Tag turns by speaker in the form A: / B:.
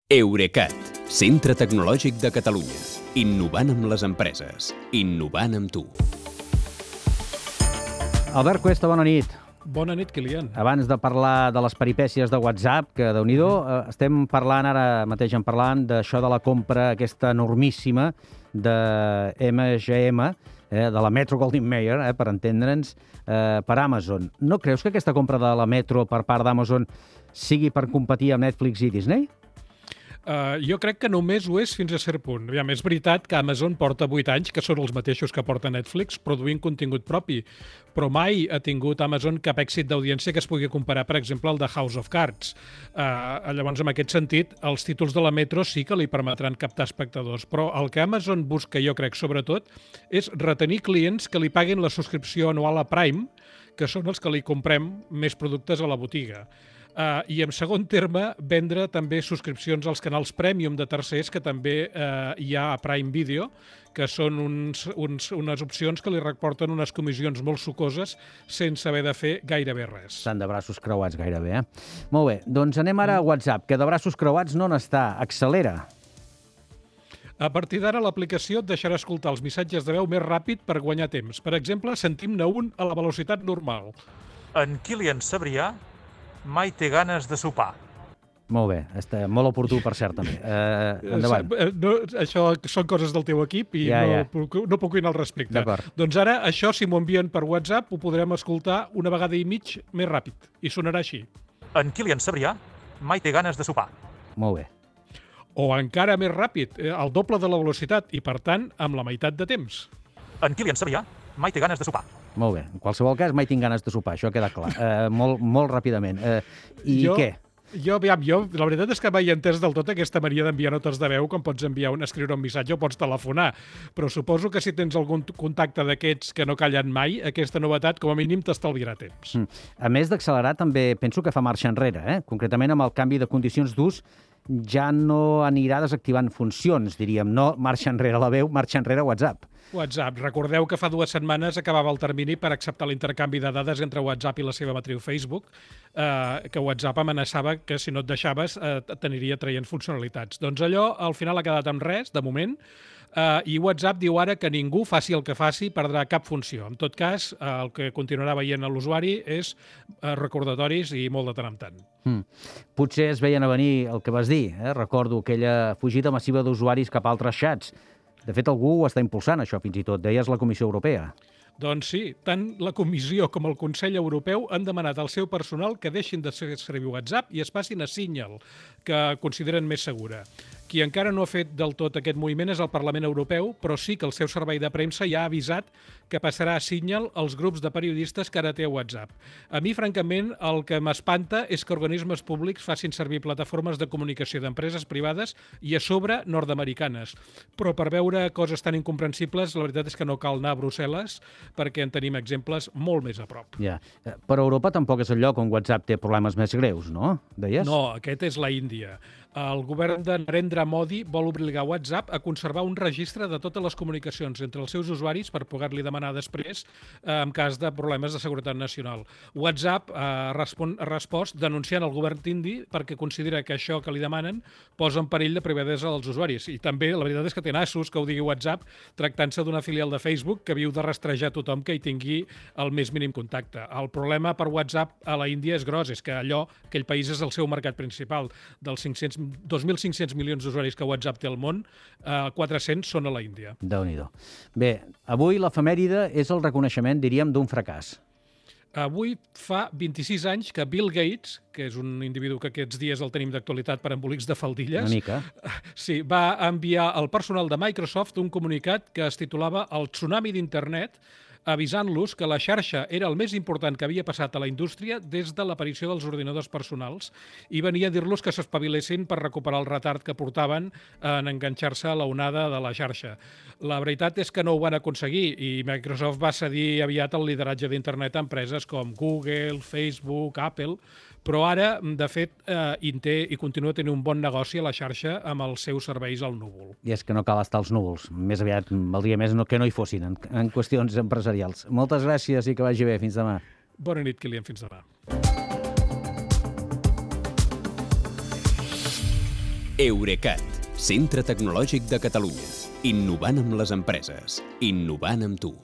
A: Eurecat, centre tecnològic de Catalunya. Innovant amb les empreses. Innovant amb tu.
B: Albert Cuesta, bona nit.
C: Bona nit, Kilian.
B: Abans de parlar de les peripècies de WhatsApp, que déu-n'hi-do, estem parlant, ara mateix d'això de la compra aquesta enormíssima de MGM, de la Metro Goldwyn Mayer, per entendre'ns, per Amazon. No creus que aquesta compra de la Metro per part d'Amazon sigui per competir amb Netflix i Disney?
C: Jo crec que només ho és fins a cert punt. És veritat que Amazon porta 8 anys, que són els mateixos que porta Netflix, produint contingut propi, però mai ha tingut Amazon cap èxit d'audiència que es pugui comparar, per exemple, al de House of Cards. Llavors, en aquest sentit, els títols de la Metro sí que li permetran captar espectadors, però el que Amazon busca, jo crec, sobretot, és retenir clients que li paguin la subscripció anual a Prime, que són els que li comprem més productes a la botiga. I, en segon terme, vendre també subscripcions als canals Premium de tercers que també hi ha a Prime Video, que són unes opcions que li reporten unes comissions molt sucoses sense haver de fer gairebé res.
B: Estan de braços creuats gairebé, Molt bé, doncs anem ara a WhatsApp, que de braços creuats no n'està. Accelera.
C: A partir d'ara, l'aplicació et deixarà escoltar els missatges de veu més ràpid per guanyar temps. Per exemple, sentim-ne un a la velocitat normal.
D: En Kilian Sabrià mai té ganes de sopar.
B: Molt bé, està molt oportú, per cert, també. Endavant.
C: Això són coses del teu equip i no puc opinar al respecte.
B: D'acord.
C: Doncs ara, això, si m'ho envien per WhatsApp, ho podrem escoltar una vegada i mig més ràpid, i sonarà així.
D: En Kilian Sabrià mai té ganes de sopar.
B: Molt bé.
C: O encara més ràpid, el doble de la velocitat, i per tant, amb la meitat de temps.
D: En Kilian Sabrià mai té ganes de sopar.
B: Molt bé. En qualsevol cas, mai tinc ganes de sopar, això queda clar. Molt ràpidament. Què?
C: Jo, la veritat és que mai he entès del tot aquesta mania d'enviar notes de veu, com pots escriure un missatge o pots telefonar, però suposo que si tens algun contacte d'aquests que no callen mai, aquesta novetat com a mínim t'estalviarà temps.
B: A més d'accelerar, també penso que fa marxa enrere, Concretament amb el canvi de condicions d'ús ja no anirà desactivant funcions, diríem. No marxa enrere la veu, marxa enrere WhatsApp.
C: WhatsApp. Recordeu que fa 2 setmanes acabava el termini per acceptar l'intercanvi de dades entre WhatsApp i la seva matriu Facebook, que WhatsApp amenaçava que si no et deixaves t'aniria traient funcionalitats. Doncs allò al final ha quedat en res, de moment, i WhatsApp diu ara que ningú, faci el que faci, perdrà cap funció. En tot cas, el que continuarà veient l'usuari és recordatoris i molt de tant en tant.
B: Potser es veien a venir el que vas dir, Recordo aquella fugida massiva d'usuaris cap a altres xats. De fet, algú ho està impulsant, això, fins i tot. Deies la Comissió Europea.
C: Doncs sí, tant la Comissió com el Consell Europeu han demanat al seu personal que deixin de servir WhatsApp i es passin a Signal, que consideren més segura. Qui encara no ha fet del tot aquest moviment és el Parlament Europeu, però sí que el seu servei de premsa ja ha avisat que passarà a Signal els grups de periodistes que ara té WhatsApp. A mi, francament, el que m'espanta és que organismes públics facin servir plataformes de comunicació d'empreses privades i a sobre nord-americanes. Però per veure coses tan incomprensibles, la veritat és que no cal anar a Brussel·les perquè en tenim exemples molt més a prop.
B: Ja. Però Europa tampoc és el lloc on WhatsApp té problemes més greus, no? Deies?
C: No, aquest és la Índia. El govern de Narendra Modi vol obligar WhatsApp a conservar un registre de totes les comunicacions entre els seus usuaris per poder-li demanar després en cas de problemes de seguretat nacional. WhatsApp ha respost denunciant el govern indi perquè considera que això que li demanen posa en perill la privadesa dels usuaris. I també la veritat és que té nassos que ho digui WhatsApp tractant-se d'una filial de Facebook que viu de rastrejar tothom que hi tingui el més mínim contacte. El problema per WhatsApp a la Índia és gros, és que aquell país és el seu mercat principal. Dels 2.500 milions d'usuaris que WhatsApp té al món, 400 són a la Índia.
B: Déu-n'hi-do. Bé, avui l'efemèride és el reconeixement, diríem, d'un fracàs.
C: Avui fa 26 anys que Bill Gates, que és un individu que aquests dies el tenim d'actualitat per embolics de faldilles,
B: Una mica.
C: Sí, va enviar al personal de Microsoft un comunicat que es titulava El tsunami d'internet, avisant-los que la xarxa era el més important que havia passat a la indústria des de l'aparició dels ordinadors personals i venia a dir-los que s'espavilessin per recuperar el retard que portaven en enganxar-se a la onada de la xarxa. La veritat és que no ho van aconseguir i Microsoft va cedir aviat el lideratge d'internet a empreses com Google, Facebook, Apple, però ara, de fet, té i continua tenint un bon negoci a la xarxa amb els seus serveis al núvol.
B: I és que no cal estar als núvols. Més aviat valdria més que no hi fossin en qüestions empresarials. Moltes gràcies i que vagi bé. Fins demà.
C: Bona nit, Kilian. Fins demà.
A: Eurecat, centre tecnològic de Catalunya. Innovant amb les empreses. Innovant amb tu.